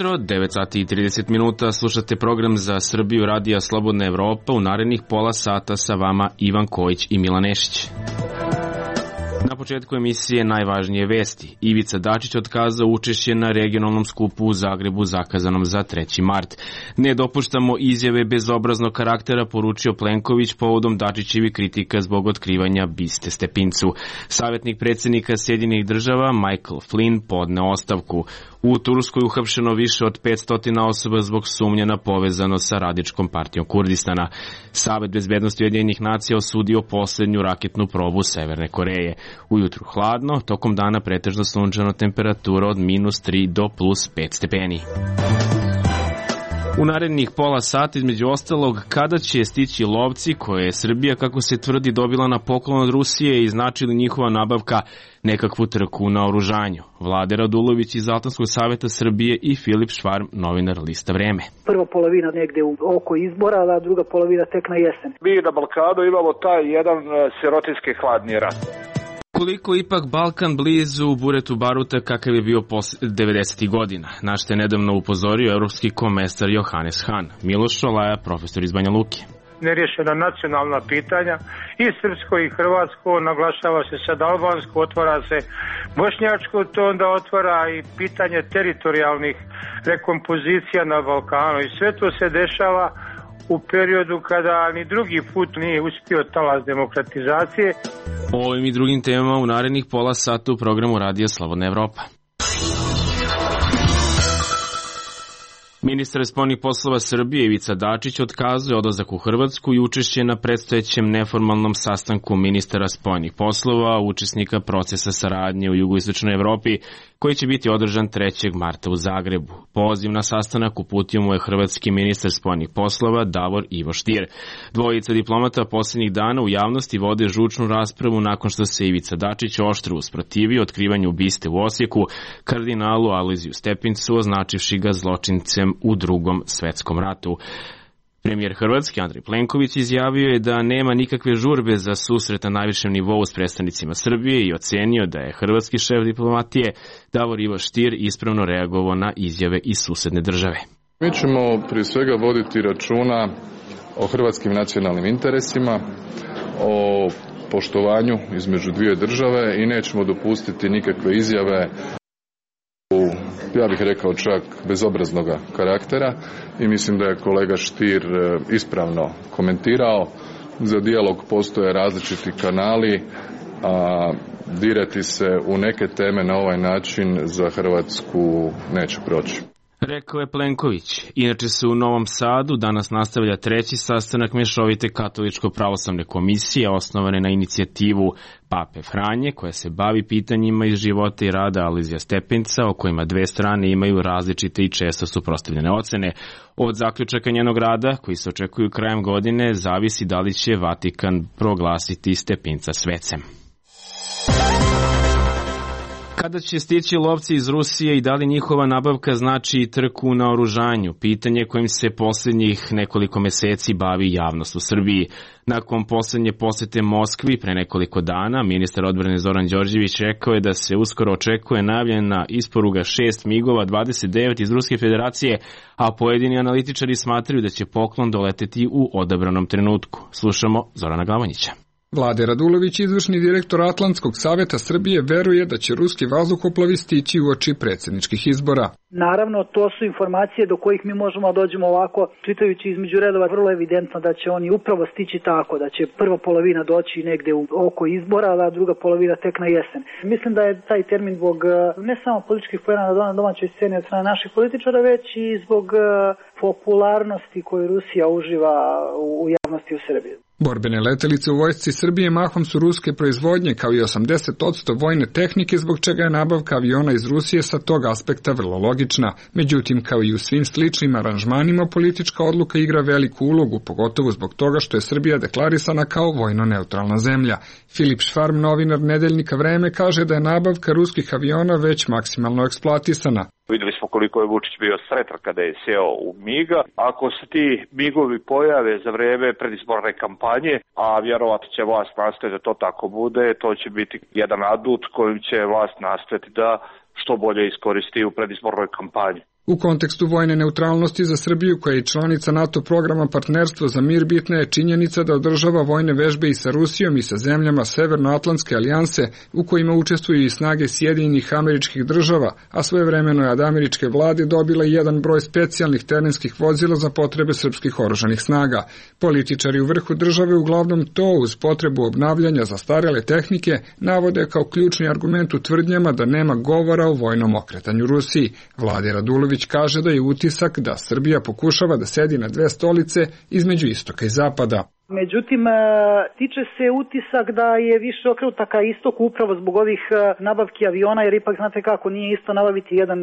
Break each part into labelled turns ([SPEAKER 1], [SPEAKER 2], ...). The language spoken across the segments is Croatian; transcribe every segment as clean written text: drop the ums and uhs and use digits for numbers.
[SPEAKER 1] Jutro, 9 sati i 30 minuta, slušate program za Srbiju Radija Slobodna Evropa. U narednih pola sata sa vama Ivan Kojić i Milan Nešić. Na početku emisije najvažnije vesti. Ivica Dačić otkazao učešće na regionalnom skupu u Zagrebu zakazanom za 3. mart. Ne dopuštamo izjave bezobraznog karaktera, poručio Plenković povodom Dačićevi kritika zbog otkrivanja biste Stepincu. Savjetnik predsjednika Sjedinjenih država Michael Flynn podneo ostavku. U Turskoj uhapšeno više od 500 osoba zbog sumnje na povezanost sa Radičkom partijom Kurdistana. Savet bezbednosti Ujedinjenih nacija osudio posljednju raketnu probu Severne Koreje. Ujutru hladno, tokom dana pretežno sunčano, temperatura od -3 do +5 stepeni. U narednih pola sata, između ostalog, kada će stići lovci koje je Srbija, kako se tvrdi, dobila na poklon od Rusije i znači li njihova nabavka nekakvu trku na oružanju. Vlade Radulović iz Altanskog savjeta Srbije i Filip Švarm, novinar Lista Vreme.
[SPEAKER 2] Prva polovina negde oko izbora, a druga polovina tek na jesen.
[SPEAKER 3] Mi na Balkanu imamo taj jedan sirotinski hladni rat.
[SPEAKER 1] Koliko ipak Balkan blizu buretu baruta kakav je bio posle 90. godina, na što je nedavno upozorio evropski komesar Johannes Hahn. Miloš Šolaja, profesor iz Banja Luke.
[SPEAKER 4] Nerješena nacionalna pitanja i srpsko i hrvatsko, naglašava se sad albansko, otvara se bošnjačko, to onda otvara i pitanje teritorijalnih rekompozicija na Balkanu i sve to se dešava u periodu kada ni drugi put nije uspio talas demokratizacije.
[SPEAKER 1] O ovim i drugim temama u narednih pola sata u programu Radija Slobodna Evropa. Ministar spoljnih poslova Srbije Ivica Dačić otkazuje odlazak u Hrvatsku i učešće na predstojećem neformalnom sastanku ministara spoljnih poslova, učesnika procesa saradnje u jugoistočnoj Evropi, koji će biti održan 3. marta u Zagrebu. Poziv na sastanak uputio mu je hrvatski ministar spoljnih poslova Davor Ivo Stier. Dvojica diplomata posljednjih dana u javnosti vode žučnu raspravu nakon što se Ivica Dačić oštro usprotivio otkrivanju biste u Osijeku kardinalu Alojziju Stepincu, označivši ga zločincem u Drugom svetskom ratu. Premijer Hrvatske Andrej Plenković izjavio je da nema nikakve žurbe za susret na najvišem nivou s predstavnicima Srbije i ocenio da je hrvatski šef diplomatije Davor Ivo Stier ispravno reagovao na izjave iz susedne države.
[SPEAKER 5] Mi ćemo prije svega voditi računa o hrvatskim nacionalnim interesima, o poštovanju između dvije države i nećemo dopustiti nikakve izjave, ja bih rekao čak bezobraznog karaktera, i mislim da je kolega Stier ispravno komentirao. Za dijalog postoje različiti kanali, a dirati se u neke teme na ovaj način za Hrvatsku neće proći.
[SPEAKER 1] Rekao je Plenković. Inače se u Novom Sadu danas nastavlja 3. sastanak Mješovite katoličko-pravoslavne komisije osnovane na inicijativu Pape Franje, koja se bavi pitanjima iz života i rada Alojzija Stepinca, o kojima dve strane imaju različite i često suprotstavljene ocene. Od zaključaka njenog rada, koji se očekuju krajem godine, zavisi da li će Vatikan proglasiti Stepinca svecem. Kada će stići lovci iz Rusije i da li njihova nabavka znači trku na oružanju? Pitanje kojim se posljednjih nekoliko meseci bavi javnost u Srbiji. Nakon posljednje posjete Moskvi pre nekoliko dana, ministar odbrane Zoran Đorđević rekao je da se uskoro očekuje najavljena isporuka 6 MiG-ova 29 iz Ruske federacije, a pojedini analitičari smatraju da će poklon doleteti u odabranom trenutku. Slušamo Zorana Glavonjića.
[SPEAKER 6] Vlade Radulović, izvršni direktor Atlantskog savjeta Srbije, veruje da će ruski vazduhoplovi stići uoči predsjedničkih izbora.
[SPEAKER 2] Naravno, to su informacije do kojih mi možemo da dođemo ovako, čitajući između redova, vrlo evidentno da će oni upravo stići tako, da će prva polovina doći negde oko izbora, a druga polovina tek na jesen. Mislim da je taj termin zbog ne samo političkih poena na domaćoj sceni od strane naših političara, već i zbog popularnosti koju Rusija uživa u javnosti u Srbiji.
[SPEAKER 6] Borbene letelice u vojsci Srbije mahom su ruske proizvodnje, kao i 80% vojne tehnike, zbog čega je nabavka aviona iz Rusije sa tog aspekta vrlo logična. logična, međutim kao i u svim sličnim aranžmanima politička odluka igra veliku ulogu, pogotovo zbog toga što je Srbija deklarisana kao vojno neutralna zemlja. Filip Švarm, novinar nedeljnika Vreme, kaže da je nabavka ruskih aviona već maksimalno eksploatisana.
[SPEAKER 3] Videli smo koliko je Vučić bio sretan kada je seo u MIG-a. Ako se ti MIG-ovi pojave za vreme predizborne kampanje, a vjerovatno će vlast nastojati da to tako bude, to će biti jedan adut kojim će vlast nastojati da što bolje iskoristi u predizbornoj kampanji.
[SPEAKER 6] U kontekstu vojne neutralnosti za Srbiju, koja je članica NATO programa Partnerstvo za mir, bitna je činjenica da održava vojne vežbe i sa Rusijom i sa zemljama Severnoatlantske alijanse, u kojima učestvuju i snage Sjedinjenih Američkih Država, a svojevremeno je od američke vlade dobila i jedan broj specijalnih terenskih vozila za potrebe srpskih oružanih snaga. Političari u vrhu države uglavnom to uz potrebu obnavljanja zastarele tehnike navode kao ključni argument u tvrdnjama da nema govora o vojnom okretanju Rusiji. Vlade Radulović kaže da je utisak da Srbija pokušava da sedi na dve stolice između istoka i zapada.
[SPEAKER 2] Međutim, tiče se utisak da je više okrenuta ka istoku upravo zbog ovih nabavki aviona, jer ipak znate kako, nije isto nabaviti jedan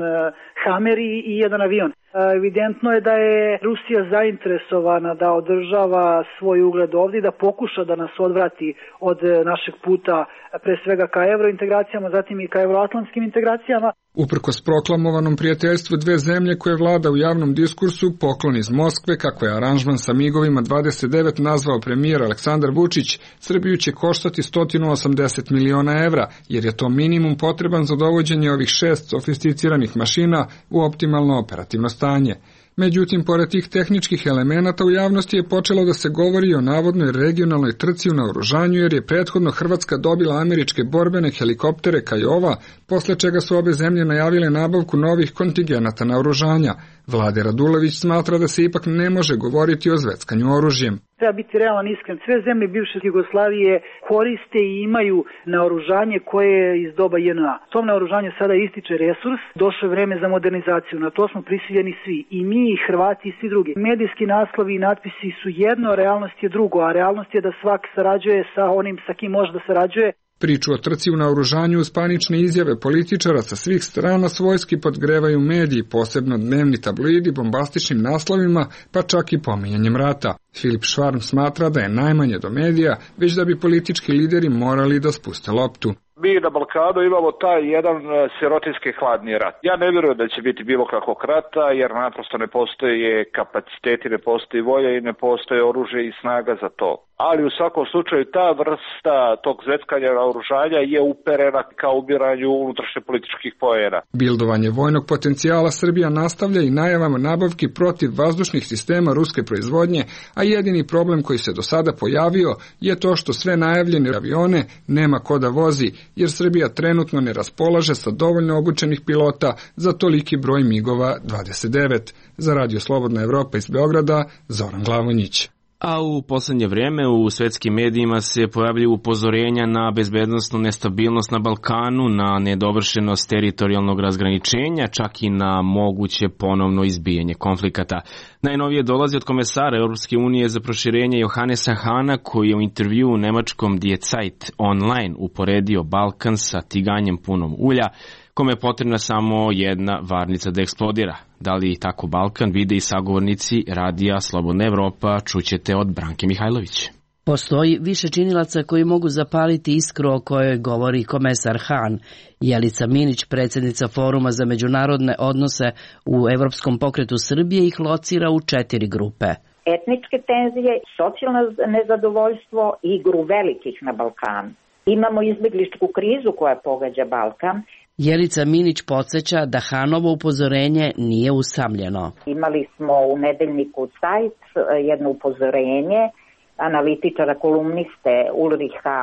[SPEAKER 2] Hammer i jedan avion. Evidentno je da je Rusija zainteresovana da održava svoj ugled ovdje, da pokuša da nas odvrati od našeg puta pre svega ka eurointegracijama, zatim i ka euroatlantskim integracijama.
[SPEAKER 6] Uprkos proklamovanom prijateljstvu dve zemlje koje vlada u javnom diskursu, poklon iz Moskve, kako je aranžman sa MIG-ovima 29 nazvao premijer Aleksandar Vučić, Srbiju će koštati 180 miliona evra, jer je to minimum potreban za dovođenje ovih 6 sofisticiranih mašina u optimalno operativno stanje. Međutim, pored tih tehničkih elemenata u javnosti je počelo da se govori o navodnoj regionalnoj trci u naoružanju, jer je prethodno Hrvatska dobila američke borbene helikoptere Kajova, posle čega su obe zemlje najavile nabavku novih kontingenata naoružanja. Vlade Radulović smatra da se ipak ne može govoriti o zveckanju oružjem.
[SPEAKER 2] Treba biti realan, iskren. Sve zemlje bivše Jugoslavije koriste i imaju naoružanje koje je iz doba JNA. Tom naoružanju sada ističe resurs, došlo je vreme za modernizaciju. Na to smo prisiljeni svi. I mi, i Hrvati, i svi drugi. Medijski naslovi i natpisi su jedno, a realnost je drugo. A realnost je da svak sarađuje sa onim sa kim može da sarađuje.
[SPEAKER 6] Priču o trci u naoružanju uz panične izjave političara sa svih strana svojski podgrevaju mediji, posebno dnevni tabloidi bombastičnim naslovima, pa čak i pominjanjem rata. Filip Švarm smatra da je najmanje do medija, već da bi politički lideri morali da spuste loptu.
[SPEAKER 3] Mi na Balkanu imamo taj jedan sirotinski hladni rat. Ja ne vjerujem da će biti bilo kakvog rata, jer naprosto ne postoje kapaciteti, ne postoji volja i ne postoje oružje i snaga za to. Ali u svakom slučaju ta vrsta tog zveckanja naoružanja je uperena ka ubiranju unutrašnje političkih poena.
[SPEAKER 6] Bildovanje vojnog potencijala Srbija nastavlja i najavama nabavki protiv vazdušnih sistema ruske proizvodnje, a jedini problem koji se do sada pojavio je to što sve najavljene avione nema ko da vozi, jer Srbija trenutno ne raspolaže sa dovoljno obučenih pilota za toliki broj MIG-ova 29. Za Radio Slobodna Evropa iz Beograda, Zoran Glavonjić.
[SPEAKER 1] A u poslednje vrijeme u svetskim medijima se pojavljuju upozorenja na bezbednosnu nestabilnost na Balkanu, na nedovršenost teritorijalnog razgraničenja, čak i na moguće ponovno izbijanje konflikata. Najnovije dolazi od komesara Europske unije za proširenje Johannesa Hahna, koji je u intervju u nemačkom Die Zeit online uporedio Balkan sa tiganjem punom ulja, kome je potrebna samo jedna varnica da eksplodira. Da li tako Balkan vide i sagovornici Radija Slobodna Evropa, čućete od Branke Mihajlović.
[SPEAKER 7] Postoji više činilaca koji mogu zapaliti iskru o kojoj govori komesar Hahn. Jelica Minić, predsjednica Foruma za međunarodne odnose u Evropskom pokretu Srbije, ih locira u 4 grupe.
[SPEAKER 8] Etničke tenzije, socijalno nezadovoljstvo i igru velikih na Balkanu. Imamo izbjegličku krizu koja pogađa Balkan.
[SPEAKER 7] Jelica Minić podsjeća da Hahnovo upozorenje nije usamljeno.
[SPEAKER 8] Imali smo u nedeljniku Zeit jedno upozorenje analitičara kolumniste Ulricha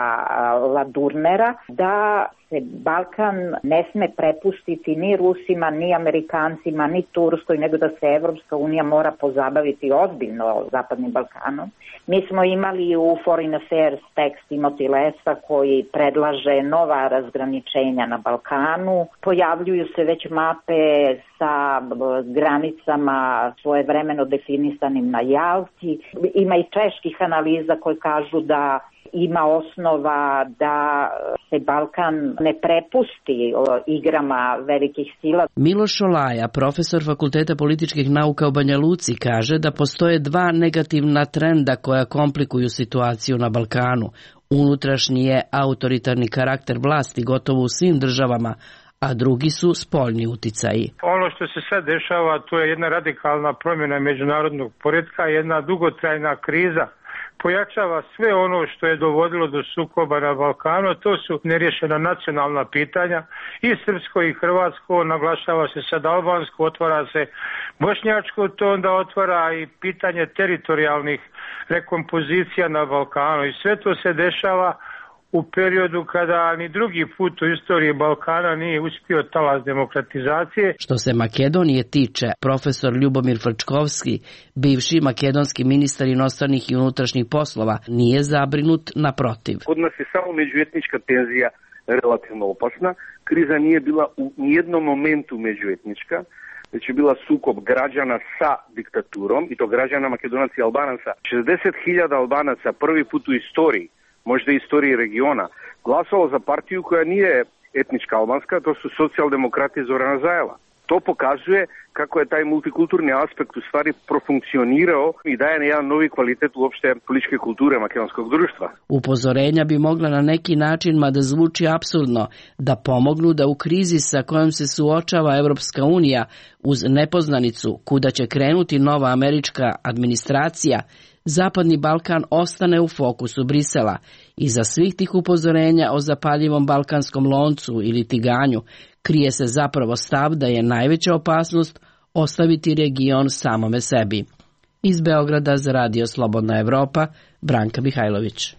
[SPEAKER 8] Ladurnera da se Balkan ne sme prepustiti ni Rusima, ni Amerikancima, ni Turskoj, nego da se Evropska unija mora pozabaviti ozbiljno Zapadnim Balkanom. Mi smo imali u Foreign Affairs tekst Timothy Lesa koji predlaže nova razgraničenja na Balkanu. Pojavljuju se već mape sa granicama svojevremeno definisanim na Jalti. Ima i čeških analitika analiza koje kažu da ima osnova da se Balkan ne prepusti igrama velikih sila.
[SPEAKER 7] Miloš Olaja, profesor Fakulteta političkih nauka u Banja Luci, kaže da postoje dva negativna trenda koja komplikuju situaciju na Balkanu. Unutrašnji je autoritarni karakter vlasti gotovo u svim državama, a drugi su spoljni uticaji.
[SPEAKER 4] Ono što se sad dešava, to je jedna radikalna promjena međunarodnog poretka, jedna dugotrajna kriza. Pojačava sve ono što je dovodilo do sukoba na Balkanu, to su nerješena nacionalna pitanja i srpsko i hrvatsko, naglašava se sad albansko, otvara se bošnjačko, to onda otvara i pitanje teritorijalnih rekompozicija na Balkanu i sve to se dešava u periodu kada ni drugi put u istoriji Balkana nije uspio talas demokratizacije.
[SPEAKER 7] Što se Makedonije tiče, profesor Ljubomir Frčkovski, bivši makedonski ministar inostranih i unutrašnjih poslova, nije zabrinut, naprotiv.
[SPEAKER 9] Kod nas je samo međuetnička tenzija relativno opasna. Kriza nije bila u nijednom momentu međuetnička, već je bila sukob građana sa diktaturom, i to građana Makedonaca i Albanaca. 60.000 Albanaca prvi put u istoriji, možda i istoriji regiona, glasalo za partiju koja nije etnička albanska, to su socijaldemokrati Zorana Zajela. To pokazuje kako je taj multikulturni aspekt u stvari profunkcionirao i daje jedan novi kvalitet uopšte političke kulture makedonskog društva.
[SPEAKER 7] Upozorenja bi mogla na neki način, mada zvuči apsurdno, da pomognu da u krizi sa kojom se suočava Evropska unija uz nepoznanicu kuda će krenuti nova američka administracija, Zapadni Balkan ostane u fokusu Brisela. Iza svih tih upozorenja o zapaljivom balkanskom loncu ili tiganju krije se zapravo stav da je najveća opasnost ostaviti region samome sebi. Iz Beograda za Radio Slobodna Evropa, Branka Mihajlović.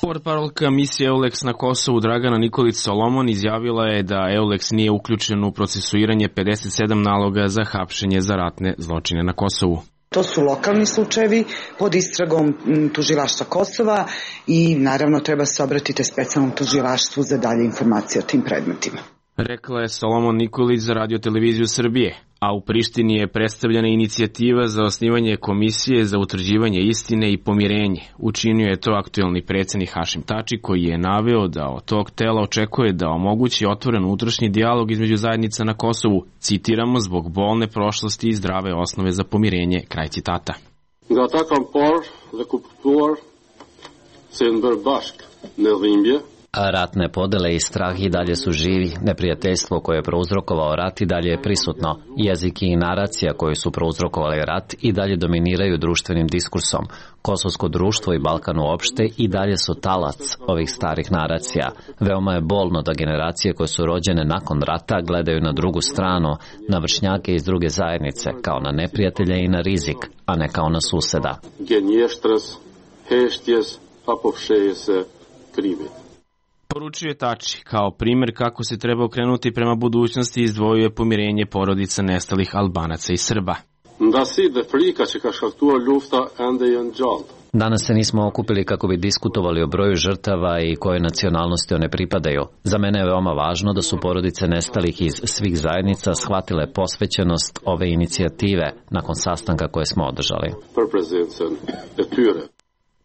[SPEAKER 1] Portparolka misije EULEX na Kosovu Dragana Nikolić Solomon izjavila je da EULEX nije uključen u procesuiranje 57 naloga za hapšenje za ratne zločine na Kosovu.
[SPEAKER 10] To su lokalni slučajevi pod istragom tužilaštva Kosova i naravno treba se obratiti specijalnom tužilaštvu za dalje informacije o tim predmetima.
[SPEAKER 1] Rekla je Solomon Nikolić za Radio televiziju Srbije, a u Prištini je predstavljena inicijativa za osnivanje komisije za utvrđivanje istine i pomirenje. Učinio je to aktuelni predsjednik Hašim Tači, koji je naveo da od tog tela očekuje da omogući otvoren unutrašnji dijalog između zajednica na Kosovu, citiramo, zbog bolne prošlosti i zdrave osnove za pomirenje, kraj citata.
[SPEAKER 11] Nga ta kam par dhe kuptuar se në bashk në dhimbje.
[SPEAKER 12] Ratne podele i strah i dalje su živi, neprijateljstvo koje je prouzrokovao rat i dalje je prisutno. Jeziki i naracija koji su prouzrokovali rat i dalje dominiraju društvenim diskursom. Kosovsko društvo i Balkan uopšte i dalje su talac ovih starih naracija. Veoma je bolno da generacije koje su rođene nakon rata gledaju na drugu stranu, na vršnjake iz druge zajednice, kao na neprijatelje i na rizik, a ne kao na suseda.
[SPEAKER 11] Genještres, heštjes, apovšeje se krivi.
[SPEAKER 1] Poručuje Tači, kao primjer kako se treba okrenuti prema budućnosti, izdvojuje pomirenje porodica nestalih Albanaca i Srba.
[SPEAKER 12] Danas se nismo okupili kako bi diskutovali o broju žrtava i koje nacionalnosti one pripadaju. Za mene je veoma važno da su porodice nestalih iz svih zajednica shvatile posvećenost ove inicijative nakon sastanka koje smo održali.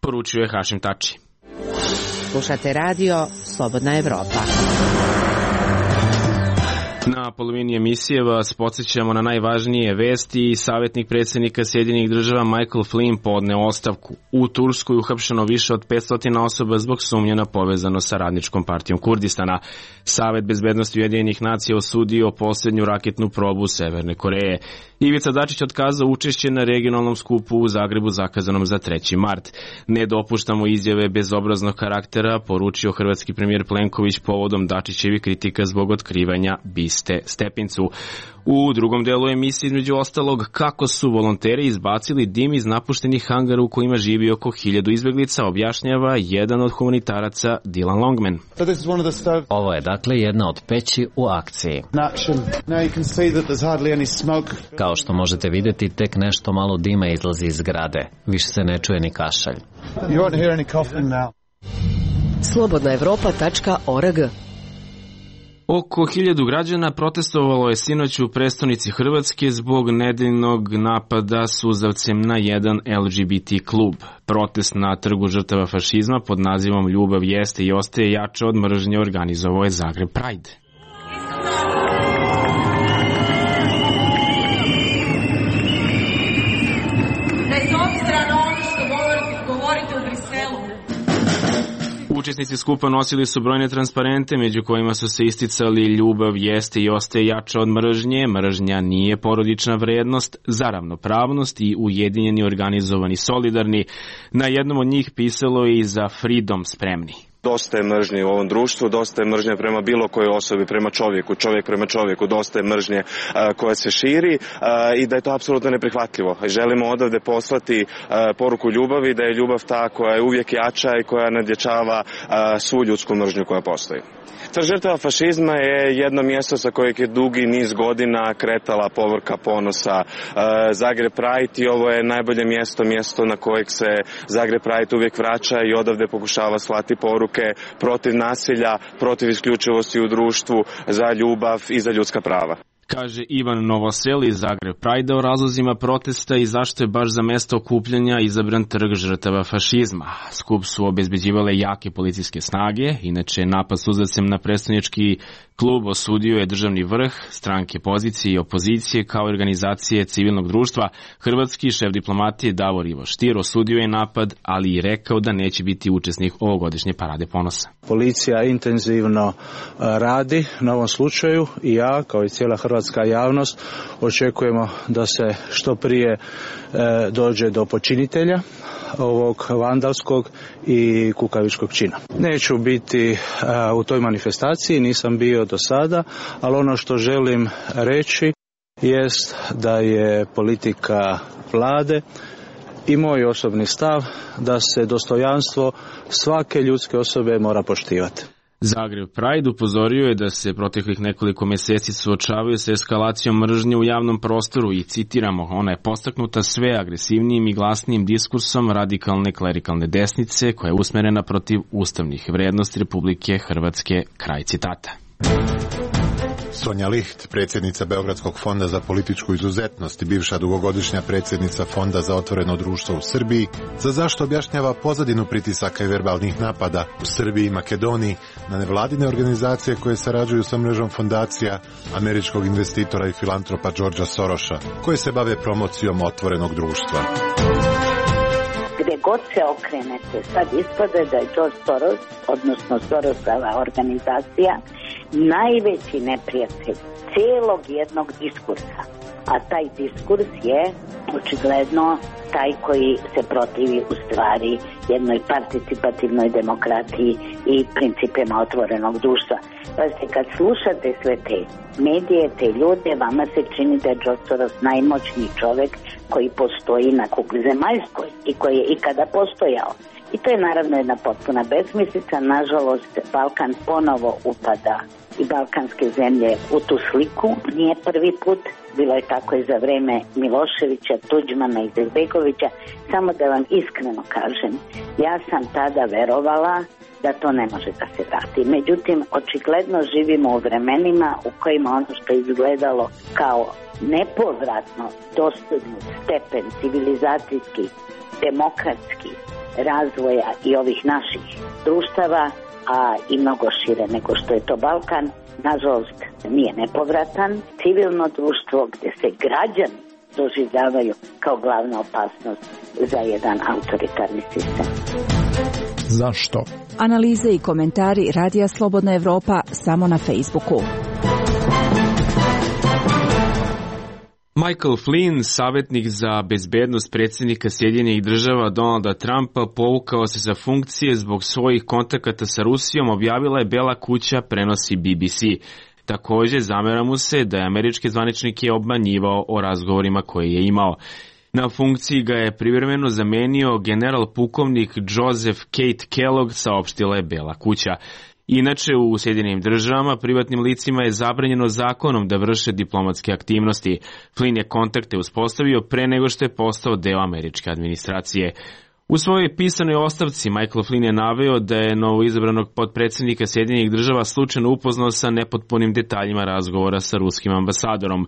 [SPEAKER 1] Poručuje Hašim Tači.
[SPEAKER 13] Slušate radio Slobodna Evropa.
[SPEAKER 1] Na polovini emisije vas podsjećamo na najvažnije vesti. Savjetnik predsjednika Sjedinjenih Država Michael Flynn podneo ostavku. U Turskoj uhapšeno više od 500 osoba zbog sumnje na povezano sa Radničkom partijom Kurdistana. Savet bezbednosti Ujedinjenih nacija osudio posljednju raketnu probu Severne Koreje. Ivica Dačić otkazao učešće na regionalnom skupu u Zagrebu zakazanom za 3. mart. Ne dopuštamo izjave bezobraznog karaktera, poručio hrvatski premijer Plenković povodom Dačićevi kritika zbog otkrivanja biste Stepincu. U drugom delu emisije, između ostalog, kako su volonteri izbacili dim iz napuštenih hangara u kojima živi oko 1000 izbjeglica, objašnjava jedan od humanitaraca Dylan Longman.
[SPEAKER 12] Ovo je dakle jedna od peći u akciji. Kao što možete vidjeti, tek nešto malo dima izlazi iz zgrade. Više se ne čuje ni kašalj.
[SPEAKER 13] Slobodnaevropa.org.
[SPEAKER 1] Oko 1000 građana protestovalo je sinoć u prestonici Hrvatske zbog nedeljnog napada suzavcem na jedan LGBT klub. Protest na trgu žrtava fašizma pod nazivom Ljubav jeste i ostaje jača od mržnje organizovao je Zagreb Pride. Učesnici skupa nosili su brojne transparente među kojima su se isticali ljubav jeste i ostaje jača od mržnje, mržnja nije porodična vrednost, za ravnopravnost i ujedinjeni, organizovani, solidarni. Na jednom od njih pisalo je i za Freedom spremni.
[SPEAKER 14] Dosta je mržnje u ovom društvu, dosta je mržnje prema bilo kojoj osobi, prema čovjeku, čovjek prema čovjeku, dosta je mržnje koja se širi i da je to apsolutno neprihvatljivo. Želimo odavde poslati poruku ljubavi, da je ljubav ta koja je uvijek jača i koja nadjačava svu ljudsku mržnju koja postoji. Trg žrtava fašizma je jedno mjesto sa kojeg je dugi niz godina kretala povorka ponosa Zagreb Pride i ovo je najbolje mjesto na kojeg se Zagreb Pride uvijek vraća i odavde pokušava slati poruke protiv nasilja, protiv isključivosti u društvu, za ljubav i za ljudska prava.
[SPEAKER 1] Kaže Ivan Novosel iz Zagreb Pride o razlozima protesta i zašto je baš za mesto okupljanja izabran trg žrtava fašizma. Skup su obezbeđivale jake policijske snage, inače napad suzavcem na predstavnički klub osudio je državni vrh, stranke pozicije i opozicije kao organizacije civilnog društva. Hrvatski šef diplomatije Davor Ivo Stier osudio je napad, ali i rekao da neće biti učesnik ovogodišnje parade ponosa.
[SPEAKER 15] Policija intenzivno radi na ovom slučaju i ja, kao i cijela hrvatska javnost, očekujemo da se što prije dođe do počinitelja ovog vandalskog i kukavičkog čina. Neću biti u toj manifestaciji, nisam bio do sada, ali ono što želim reći jest da je politika vlade i moj osobni stav da se dostojanstvo svake ljudske osobe mora poštivati.
[SPEAKER 1] Zagreb Pride upozorio je da se proteklih nekoliko mjeseci suočavaju sa eskalacijom mržnje u javnom prostoru i citiramo, ona je postaknuta sve agresivnijim i glasnijim diskursom radikalne klerikalne desnice koja je usmerena protiv ustavnih vrednosti Republike Hrvatske, kraj citata.
[SPEAKER 16] Sonja Licht, predsjednica Beogradskog fonda za političku izuzetnost i bivša dugogodišnja predsjednica Fonda za otvoreno društvo u Srbiji, za zašto objašnjava pozadinu pritisaka i verbalnih napada u Srbiji i Makedoniji na nevladine organizacije koje sarađuju sa mrežom fondacija američkog investitora i filantropa Georgea Sorosa, koje se bave promocijom otvorenog društva.
[SPEAKER 17] Gde god se okrenete, sad ispade da je George Soros, odnosno Sorosova organizacija, najveći neprijatelj cijelog jednog diskursa. A taj diskurs je očigledno taj koji se protivi u stvari jednoj participativnoj demokratiji i principima otvorenog društva. Pazite, kad slušate sve te medije, te ljude, vama se čini da je George Soros najmoćniji čovjek koji postoji na kugli zemaljskoj i koji je ikada postojao. I to je naravno jedna potpuna besmislica. Nažalost, Balkan ponovo upada i balkanske zemlje u tu sliku. Nije prvi put, bilo je tako i za vreme Miloševića, Tuđmana i Izetbegovića. Samo da vam iskreno kažem, ja sam tada verovala da to ne može da se vrati. Međutim, očigledno živimo u vremenima u kojima ono što je izgledalo kao nepovratno dostignut stepen civilizacijski, demokratski razvoja i ovih naših društava, a i mnogo šire nego što je to Balkan, nažalost nije nepovratan. Civilno društvo gdje se građani doživljavaju kao glavna opasnost za jedan autoritarni sistem.
[SPEAKER 18] Zašto? Analize i komentari Radija Slobodna Evropa samo na Facebooku.
[SPEAKER 1] Michael Flynn, savjetnik za bezbednost predsjednika Sjedinjenih Država Donalda Trumpa, povukao se sa funkcije zbog svojih kontakata sa Rusijom, objavila je Bela kuća, prenosi BBC. Također zamera mu se da je američki zvaničnik je obmanjivao o razgovorima koje je imao. Na funkciji ga je privremeno zamenio general pukovnik Joseph Kate Kellogg, saopštila je Bela kuća. Inače, u Sjedinjenim Državama privatnim licima je zabranjeno zakonom da vrše diplomatske aktivnosti. Flynn je kontakte uspostavio pre nego što je postao deo američke administracije. U svojoj pisanoj ostavci Michael Flynn je naveo da je novoizabranog potpredsjednika Sjedinjenih država slučajno upoznao sa nepotpunim detaljima razgovora sa ruskim ambasadorom.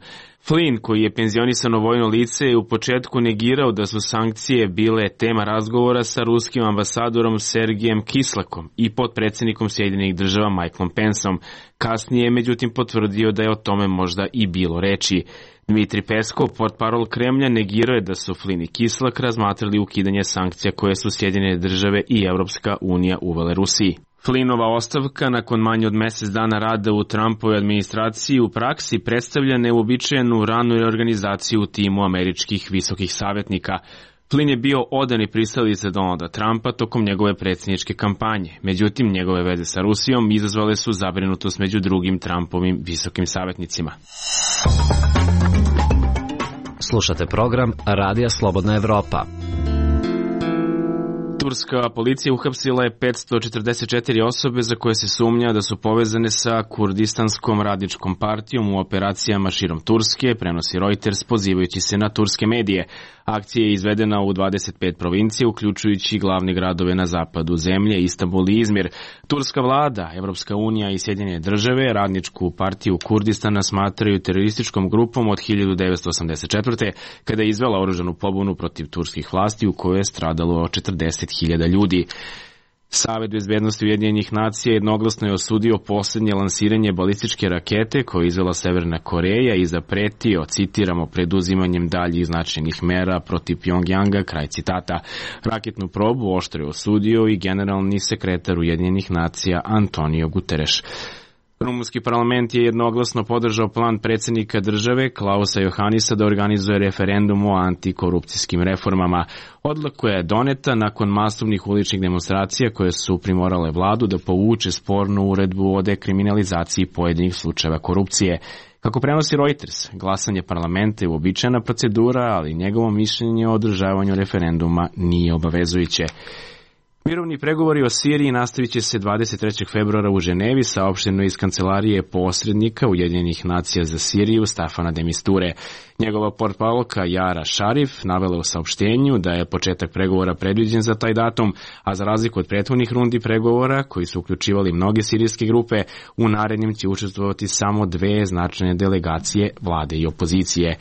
[SPEAKER 1] Flynn, koji je penzionisano vojno lice, je u početku negirao da su sankcije bile tema razgovora sa ruskim ambasadorom Sergijem Kislakom i potpredsjednikom Sjedinjenih država Michaelom Penceom. Kasnije je međutim potvrdio da je o tome možda i bilo reči. Dmitri Peskov, portparol Kremlja, negirao je da su Flynn i Kislak razmatrali ukidanje sankcija koje su Sjedinjene države i Evropska unija uvele Rusiji. Flynnova ostavka nakon manje od mjesec dana rada u Trumpovoj administraciji u praksi predstavlja neuobičajenu ranu reorganizaciju u timu američkih visokih savjetnika. Flynn je bio odani pristalica Donalda Trumpa tokom njegove predsjedničke kampanje. Međutim, njegove veze sa Rusijom izazvale su zabrinutost među drugim Trumpovim visokim savjetnicima.
[SPEAKER 12] Slušate program Radija Slobodna Evropa.
[SPEAKER 1] Turska policija uhapsila je 544 osobe za koje se sumnja da su povezane sa Kurdistanskom radničkom partijom u operacijama širom Turske, prenosi Reuters pozivajući se na turske medije. Akcija je izvedena u 25 provincija, uključujući glavne gradove na zapadu zemlje, Istanbul i Izmir. Turska vlada, Evropska unija i Sjedinjene države radničku partiju Kurdistana smatraju terorističkom grupom od 1984. kada je izvela oružanu pobunu protiv turskih vlasti u kojoj je stradalo 40.000 ljudi. Savet bezbednosti Ujedinjenih nacija jednoglasno je osudio posljednje lansiranje balističke rakete koje je izvela Severna Koreja i zapretio, citiramo, preduzimanjem daljih značajnih mera protiv Pjongjanga, kraj citata. Raketnu probu oštro je osudio i generalni sekretar Ujedinjenih nacija Antonio Guterres. Rumunski parlament je jednoglasno podržao plan predsjednika države Klausa Johannisa da organizuje referendum o antikorupcijskim reformama. Odluka je doneta nakon masovnih uličnih demonstracija koje su primorale vladu da povuče spornu uredbu o dekriminalizaciji pojedinih slučajeva korupcije. Kako prenosi Reuters, glasanje parlamenta je uobičajena procedura, ali njegovo mišljenje o održavanju referenduma nije obavezujuće. Mirovni pregovori o Siriji nastavit će se 23. februara u Ženevi, saopšteno iz kancelarije posrednika Ujedinjenih nacija za Siriju Stafana de Misture. Njegova portparolka Jara Šarif navela u saopštenju da je početak pregovora predviđen za taj datum, a za razliku od prethodnih rundi pregovora, koji su uključivali mnoge sirijske grupe, u narednim će učestvovati samo dve značajne delegacije vlade i opozicije.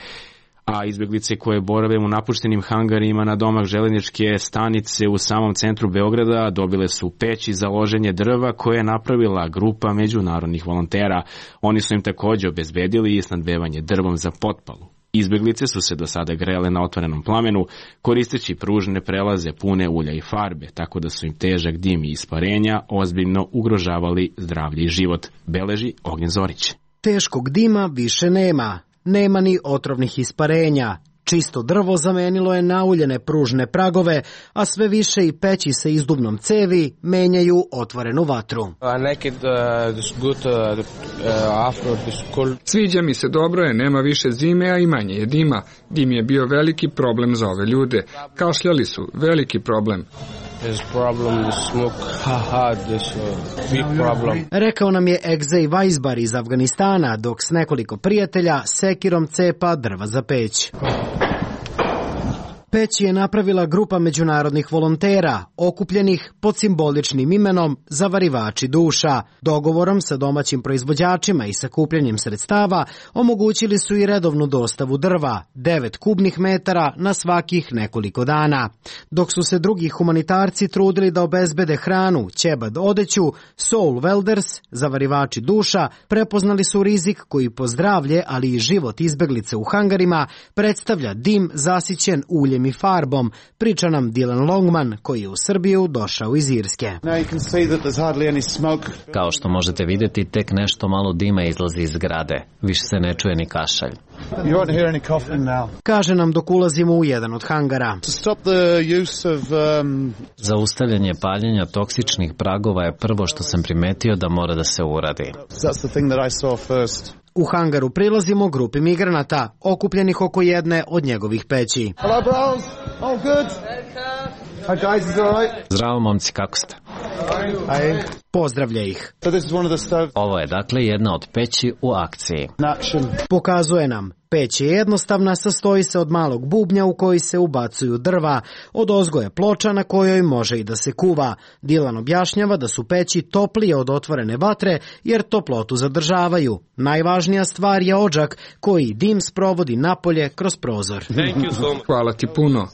[SPEAKER 1] A izbjeglice koje borave u napuštenim hangarima na domak željezničke stanice u samom centru Beograda dobile su peći za loženje drva koje je napravila grupa međunarodnih volontera. Oni su im također obezbedili i snadbevanje drvom za potpalu. Izbjeglice su se do sada grele na otvorenom plamenu, koristeći pružne prelaze pune ulja i farbe, tako da su im težak dim i isparenja ozbiljno ugrožavali zdravlje i život, beleži Ognjen Zorić.
[SPEAKER 19] Teškog dima više nema. Nema ni otrovnih isparenja. Čisto drvo zamenilo je nauljene pružne pragove, a sve više i peći sa izduvnom cevi menjaju otvorenu vatru.
[SPEAKER 6] Sviđa mi se, dobro je, nema više zime, a i manje je dima. Dim je bio veliki problem za ove ljude. Kašljali su, veliki problem.
[SPEAKER 19] Rekao nam je Egzej Vajzbar iz Afganistana, dok s nekoliko prijatelja sekirom cepa drva za peć. Peć je napravila grupa međunarodnih volontera, okupljenih pod simboličnim imenom Zavarivači duša. Dogovorom sa domaćim proizvođačima i sakupljanjem sredstava omogućili su i redovnu dostavu drva, 9 kubnih metara na svakih nekoliko dana. Dok su se drugi humanitarci trudili da obezbede hranu, ćebad, odeću, Soul Welders, Zavarivači duša, prepoznali su rizik koji po zdravlje, ali i život izbeglice u hangarima predstavlja dim zasićen uljem i farbom, priča nam Dylan Longman, koji je u Srbiju došao iz Irske.
[SPEAKER 12] Kao što možete vidjeti, tek nešto malo dima izlazi iz zgrade. Više se ne čuje ni kašalj.
[SPEAKER 19] Kaže nam dok ulazimo u jedan od hangara.
[SPEAKER 12] Zaustavljanje paljenja toksičnih pragova je prvo što sam primetio da mora da se uradi.
[SPEAKER 19] U hangaru prilazimo grupi migranata, okupljenih oko jedne od njegovih peći.
[SPEAKER 20] Hello, bros. Oh, good. Hi, guys, is it all right?
[SPEAKER 12] Zdravo, momci, kako ste?
[SPEAKER 19] pozdravlja ih.
[SPEAKER 12] Ovo je dakle jedna od peći u akciji.
[SPEAKER 19] Pokazuje nam. Peć je jednostavna, sastoji se od malog bubnja u koji se ubacuju drva, od ozgo je ploča na kojoj može i da se kuva. Dilan objašnjava da su peći toplije od otvorene vatre jer toplotu zadržavaju. Najvažnija stvar je odžak koji dim sprovodi napolje kroz prozor.
[SPEAKER 6] Hvala ti puno.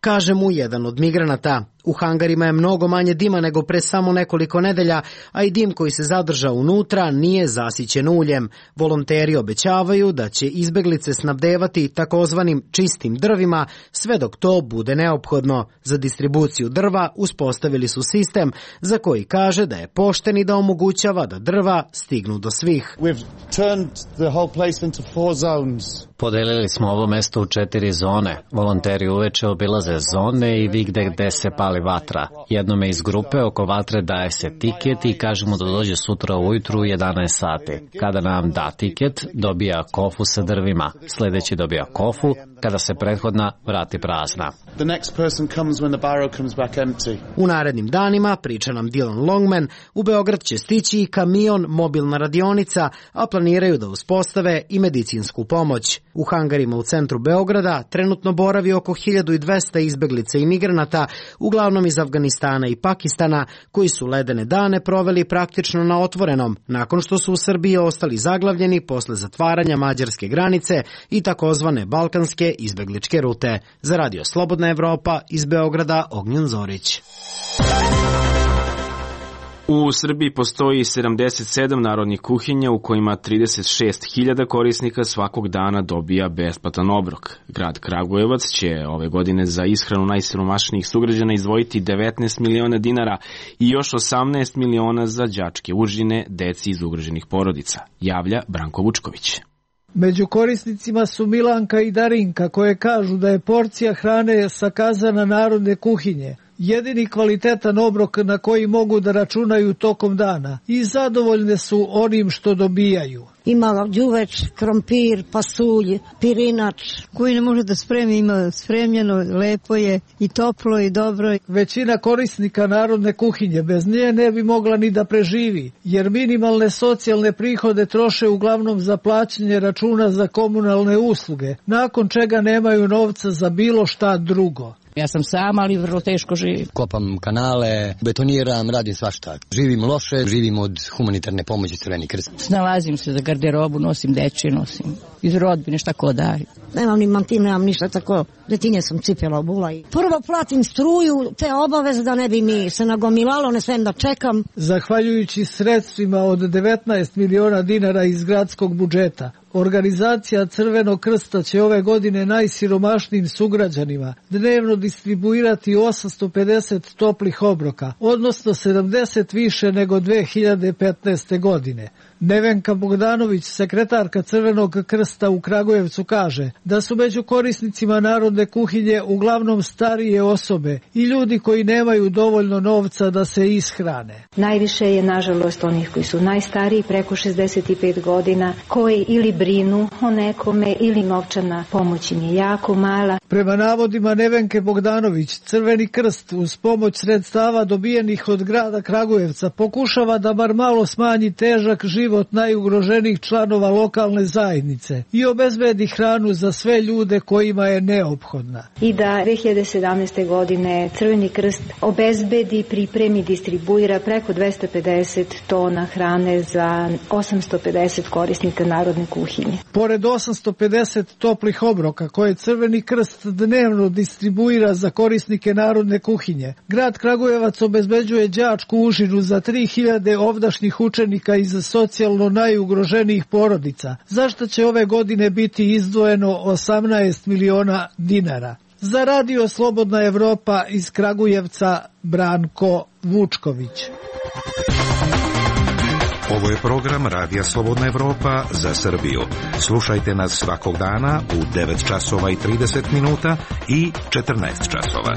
[SPEAKER 19] Kaže mu jedan od migranata. U hangarima je mnogo manje dima nego pre samo nekoliko nedelja, a i dim koji se zadrža unutra nije zasićen uljem. Volonteri obećavaju da će izbeglice snabdevati takozvanim čistim drvima sve dok to bude neophodno. Za distribuciju drva uspostavili su sistem za koji kaže da je pošten i da omogućava da drva stignu do svih.
[SPEAKER 12] Podelili smo ovo mesto u 4 zone. Volonteri uveče obilaze zone i vigde gde se pali vatra. Jednome iz grupe oko vatre daje se tiket i kaže mu da dođe sutra ujutru u 11 sati. Kada nam da tiket, dobija kofu sa drvima. Sledeći dobija kofu kada se prethodna vrati prazna.
[SPEAKER 19] U narednim danima, priča nam Dylan Longman, u Beograd će stići i kamion, mobilna radionica, a planiraju da uspostave i medicinsku pomoć. U hangarima u centru Beograda trenutno boravi oko 1200 izbeglica i migranata, uglavnom iz Afganistana i Pakistana, koji su ledene dane proveli praktično na otvorenom, nakon što su u Srbiji ostali zaglavljeni posle zatvaranja mađarske granice i takozvane balkanske izbegličke rute. Za Radio Slobodna Evropa iz Beograda, Ognjen Zorić.
[SPEAKER 1] U Srbiji postoji 77 narodnih kuhinja u kojima 36.000 korisnika svakog dana dobija besplatan obrok. Grad Kragujevac će ove godine za ishranu najsiromašnijih sugrađana izdvojiti 19 miliona dinara i još 18 miliona za đačke užine deci iz ugroženih porodica, javlja Branko Vučković.
[SPEAKER 20] Među korisnicima su Milanka i Darinka, koje kažu da je porcija hrane sakazana narodne kuhinje jedini kvalitetan obrok na koji mogu da računaju tokom dana i zadovoljne su onim što dobijaju.
[SPEAKER 21] Ima đuveč, krompir, pasulj, pirinač. Koji ne može da spremi, ima spremljeno, lepo je i toplo i dobro.
[SPEAKER 20] Većina korisnika narodne kuhinje bez nje ne bi mogla ni da preživi, jer minimalne socijalne prihode troše uglavnom za plaćanje računa za komunalne usluge, nakon čega nemaju novca za bilo šta drugo.
[SPEAKER 22] Ja sam sama, ali vrlo teško živim. Kopam kanale, betoniram, radim svašta. Živim loše, živim od humanitarne pomoći Crveni krst. Snalazim se za garderobu, nosim dečje, nosim iz rodbine, šta ko daje.
[SPEAKER 21] Nemam ni mantim, nemam ništa, tako detinje sam cipela obula. Prvo platim struju, te obaveze da ne bi mi se nagomilalo, ne svem da čekam.
[SPEAKER 20] Zahvaljujući sredstvima od 19 miliona dinara iz gradskog budžeta, organizacija Crvenog krsta će ove godine najsiromašnijim sugrađanima dnevno distribuirati 850 toplih obroka, odnosno 70 više nego 2015. godine. Nevenka Bogdanović, sekretarka Crvenog krsta u Kragujevcu, kaže da su među korisnicima narodne kuhinje uglavnom starije osobe i ljudi koji nemaju dovoljno novca da se ishrane.
[SPEAKER 23] Najviše je, nažalost, onih koji su najstariji, preko 65 godina, koji ili brinu o nekome ili novčana pomoć im je jako mala.
[SPEAKER 20] Prema navodima Nevenke Bogdanović, Crveni krst uz pomoć sredstava dobijenih od grada Kragujevca pokušava da bar malo smanji težak život najugroženijih članova lokalne zajednice i obezbedi hranu za sve ljude kojima je neophodna.
[SPEAKER 23] I da 2017. godine Crveni krst obezbedi, pripremi, distribuira preko 250 tona hrane za 850 korisnika narodne kuhinje.
[SPEAKER 20] Pored 850 toplih obroka koje Crveni krst dnevno distribuira za korisnike narodne kuhinje, grad Kragujevac obezbeđuje đačku užinu za 3000 ovdašnjih učenika iz socijalno najugroženijih porodica, za što će ove godine biti izdvojeno 18 miliona dinara. Za Radio Slobodna Evropa iz Kragujevca, Branko Vučković.
[SPEAKER 24] Ovo je program Radija Slobodna Evropa za Srbiju. Slušajte nas svakog dana u 9 časova i 30 minuta i 14 časova.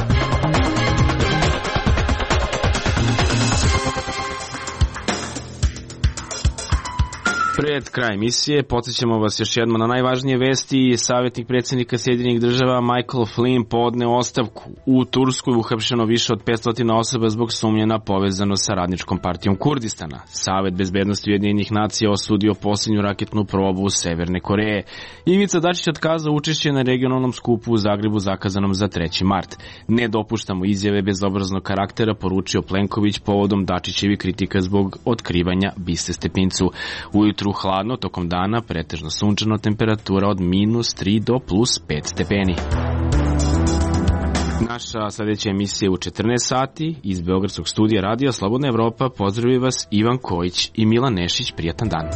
[SPEAKER 1] Pred kraj emisije podsjećamo vas još jednom na najvažnije vesti. Savjetnik predsjednika Sjedinjenih država Michael Flynn podneo ostavku. U Turskoj uhapšeno više od 500 osoba zbog sumnje na povezanost sa radničkom partijom Kurdistana. Savet bezbednosti Ujedinjenih nacija osudio posljednju raketnu probu Severne Koreje. Ivica Dačić otkazao učešće na regionalnom skupu u Zagrebu zakazanom za 3. mart. Ne dopuštamo izjave bezobraznog karaktera, poručio Plenković povodom Dačićevi kritika zbog otkrivanja biste Stepincu. Ujutru hladno, tokom dana pretežno sunčano, temperatura od -3 do +5 stepeni. Naša sljedeća emisija u 14 sati iz Beogradskog studija Radija Slobodna Evropa. Pozdravljaju vas Ivan Kojić i Milan Nešić. Prijatan dan.